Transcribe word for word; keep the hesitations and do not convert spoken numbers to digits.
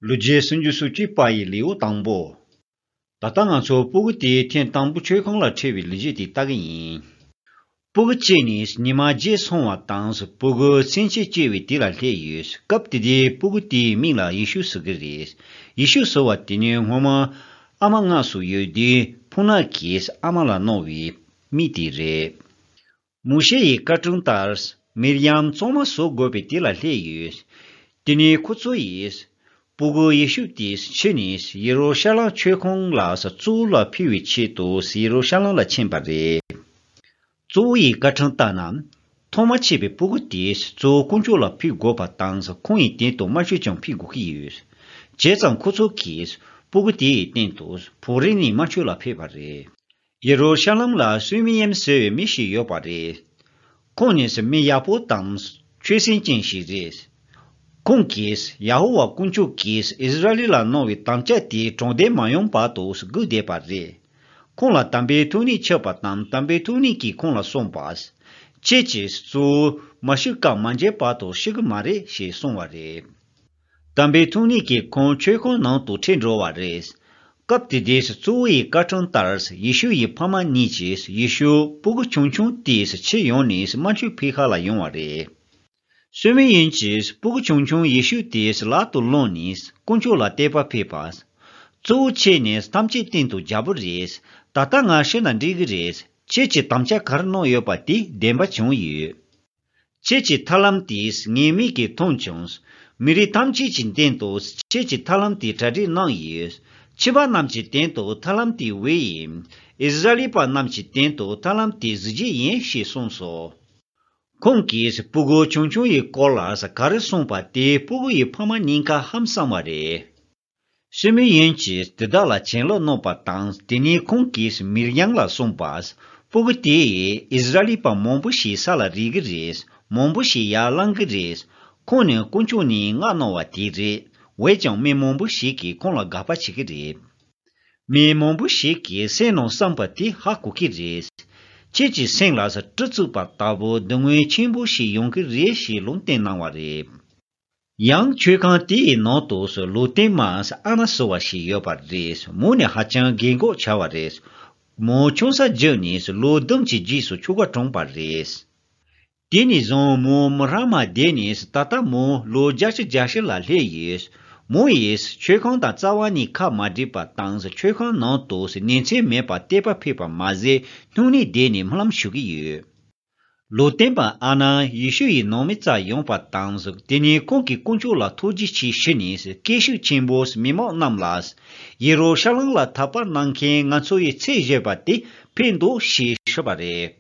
ལོ་རྒྱུས་སུམ་ཅུ་སོ་གཅིག་པ་ཡི་ལེའུ་དང་པོ། ད་ལྟ་ང་ཚོ་སྤུ་གུ་དེའི་ཐེངས་དང་པོ་མཆོད་ཁང་ལ་ཁྲིད་པའི་ལོ་རྒྱུས་དེ་ལྟ་གི་ཡིན། སྤུ་གུ་གཅིག་ནི་ཉི་མ་བརྗེད་སོང་བ་དང་སྤུ་གུ་ཚུན་ཆད་སྐྱེས་པའི་དུས་ལ་སླེབས་ཡོད། སྐབས་དེ་དུས་སྤུ་གུ་དེའི་མིང་ལ་ཡེ་ཤུ་ཟེར་གི་རེད། ཡེ་ཤུ་ཟེར་བ་དེ་ནི་སྔོན་མ་ཨ་མ་མངལ་སུ་ཡོད་དུས་ཕོ་ཉ་གིས་ཨ་མ་ལ་གནང་བའི་མིང་དེ་རེད། མོ་ཤེ་ཡི་བཀའ་ཁྲིམས་ལྟར་མིར་ཡམ་གཙང་མ་བཟོ་དགོས་པའི་དུས་ལ་སླེབས་ཡོད། དེ་ནས་ཁོ་ཚོ་ཡིས་སྤུ་གུ་ཡེ་ཤུ་དེ་ཁྱེར་ནས་ཡེ་རུ་ཤ་ལམ་མཆོད་ཁང་ལ་གཙོ་བོ་ལ་ཕུལ་བའི་ཆེད་དུ་ཡེ་རུ་ཤ་ལམ་ལ་ཕྱིན་པ་རེད། གཙོ་བོ་ཡི་བཀའ་ཁྲིམས་ལྟར་ན། ཐོག་མ་སྐྱེས་པའི་སྤུ་གུ་དེ་གཙོ་བོ་དཀོན་མཆོག་ལ་ཕུལ་དགོས་པ་དང་ཁོང་ཡི་སྟེང་དུ་དམར་མཆོད་ཀྱང་ཕུལ་དགོས་ཀྱི་ཡོད། བྱས་ཙང་ཁོ་ཚོ་གིས་སྤུ་གུ་དེ་ཡི་སྟེང་དུ་ཕོག་རིལ་ནས་དམར་མཆོད་ལ་ཕུལ་བ་རེད། ཡེ་རུ་ཤ་ལམ་ལ་སུ་མི་ཡེམ་ཟེར་བའི་མི་ཞིག་ཡོད་པ་རེད། ཁོང་ནི་མི་ཡག་པོ་དང་ཆོས་སེམས་ཅན་ཞིག་རེད། ཁོང་གིས་ཡ་ཧོ་ཝཱ་དཀོན་མཆོག་གིས་ཨིསི་ར་ཨེལ་ལ་གནང་བའི་དམ་བཅའ་དེ་དྲང་བདེན་མ་ཡོང་བར་དུ་སྒུག་བསྡད་པ་རེད། ཁོང་ལ་དམ་པའི་ཐུགས་ཉིད་ཆགས་པ་དང་དམ་པའི་ཐུགས་ཉིད་ཀྱིས་ཁོང་ལ་གསུངས་པ། ཁྱེད་ཀྱིས་གཙོ་བོ་མ་ཤི་ཀ་མ་མཇལ་བར་དུ་ཤི་གི་མ་རེད་ཞེས་གསུངས་པ་རེད། དམ་པའི་ཐུགས་ཉིད་ཀྱིས་ཁོང་མཆོད་ཁང་ནང་དུ་ཁྲིད་འགྲོ་བ་རེད། སྐབས་དེ་དུས་གཙོ་བོ་ཡི་བཀའ་ཁྲིམས་ལྟར་ཡེ་ཤུ་ཡི་ཕ་མ་གཉིས་ཀྱིས་ཡེ་ཤུ་སྤུ་གུ་ཆུང་ཆུང་དེས་ཁྱེར་ཡོང་ནས་དམར་མཆོད་ཕུལ་ཁ་ལ་ཡོང་བ་རེད། སུ་མི་ཡེམ་གྱིས་སྤུ་གུ་ཆུང་ཆུང་ཡེ་ཤུ་དེའི་ལག་ཏུ་བླངས་ནས་དཀོན་མཆོག་ལ་བསྟོད་པ་ཕུལ་བ། གཙོ་བོ་ཁྱེད་ནི་ཐམས་ཅད་སྟེང་དུ་རྒྱལ་པོ་རེད། ད་ལྟ་ང་ཤི་ན་འགྲིག་གི་རེད། ཁྱེད་ཀྱིས་དམ་བཅའ་ག་རེ་གནང་ཡོད་པ་དེ་བདེན་པ་བྱུང་ཡོད། ཁྱེད་ཀྱི་ཐར་ལམ་དེས་ངའི་མིག་གིས་མཐོང་བྱུང་། མི་རིགས་ཐམས་ཅད་ཀྱི་སྟེང་དུ་ཁྱེད་ཀྱི་ཐར་ལམ་དེ་གྲ་སྒྲིག་གནང་ཡོད། ཕྱི་པ་རྣམས་ཀྱི་སྟེང་དུ་ཐར་ལམ་དེ་འོད་ཡིན། ཨིསི་ར་ཨེལ་པ་རྣམས་ཀྱི་སྟེང་དུ་ཐར་ལམ་དེ་གཟི་བརྗིད་ཡིན་ཞེས་གསུངས་སོ། ཁོང་གིས་སྤུ་གུ་ཆུང་ཆུང་ཡི་སྐོར་ལ་ག་རེ་གསུངས་པ་དེ་སྤུ་གུ་ཡི་ཕ་མ་གཉིས་ཀ་ཧང་སངས་པ་རེད། སུ་མི་ཡེམ་གྱིས་དེ་དག་ལ་བྱིན་རླབས་གནང་བ་དང་དེ་ནས་ཁོང་གིས་མིར་ཡམ་ལ་གསུངས་པ། སྤུ་གུ་དེ་ཡིས་ཨིསི་ར་ཨེལ་པ་མང་པོ་ཞིག་ས་ལ་རིལ་གི་རེད། མང་པོ་ཞིག་ཡར་ལངས་གི་རེད། ཁོང་ནི་དཀོན་མཆོག་ནས་མངགས་གནང་བ་དེ་རེད། འོན་ཀྱང་མི་མང་པོ་ཞིག་གིས་ཁོང་ལ་དགག་པ་བྱེད་ཀྱི་རེད། མི་མང་པོ་ཞིག་གིས་སེམས་ནང་བསམ་པ་དེ་ཧ་གོ་གི་རེད། ཁྱེད་ཀྱི་སེམས་ལ་སྤྲི་བཙུགས་པ་ལྟ་བུ་སྡུག་བསྔལ་ཆེན་པོ་ཞིག་ཡོང་གི་རེད་ཞེས་ལུང་བསྟན་གནང་བ་རེད། ཡང་མཆོད་ཁང་དེ་ཡི་ནང་དུ་ལུང་སྟོན་མ་ཨ་ན་ཟེར་བ་ཞིག་ཡོད་པ་རེད། མོ་ནི་ཧ་ཅང་རྒན་གོག་ཆགས་པ་རེད། མོ་ཆུང་ས་བརྒྱུད་ནས་ལོ་བདུན་གྱི་རྗེས་སུ་ཆོ་ག་གྲོངས་པ་རེད། དེ་ནས་བཟུང་མོ་མི་རང་མ་བསྡད་ནས་ད་ལྟ་མོ་ལོ་བརྒྱད་ཅུ་གྱ་བཞི་ལ་སླེབས་ཡོད། མོ་ཡིས་མཆོད་ཁང་དང་རྩ་བ་ནས་ཁ་མ་བྲལ་བ་དང་མཆོད་ཁང་ནང་དུ་ཉིན་མཚན་མེད་པར་བསྟོད་པ་ཕུལ་བ་མ་ཟད་སྨྱུང་གནས་བསྡད་ནས་སྨོན་ལམ་ཞུ་གི་ཡོད། ལུང་སྟོན་པ་ཨ་ནཱ་ཡེ་ཤུ་ཡི་ནང་མི་རྩར་ཡོང་བ་དང་དེ་ནས་ཁོང་གིས་དཀོན་མཆོག་ལ་ཐུགས་རྗེ་ཆེ་ཞུས་ནས་སྐད་ཤུགས་ཆེན་པོས་མི་མང་རྣམས་ལ། ཡེ་རུ་ཤ་ལམ་ལ་འཐབ་པ་གནང་མཁན་ང་ཚོ་ཡི་ཚེ་བཞེས་པ་དེ་ཕེབས་འདུག་ཞེས་ཞུས་པ་རེད།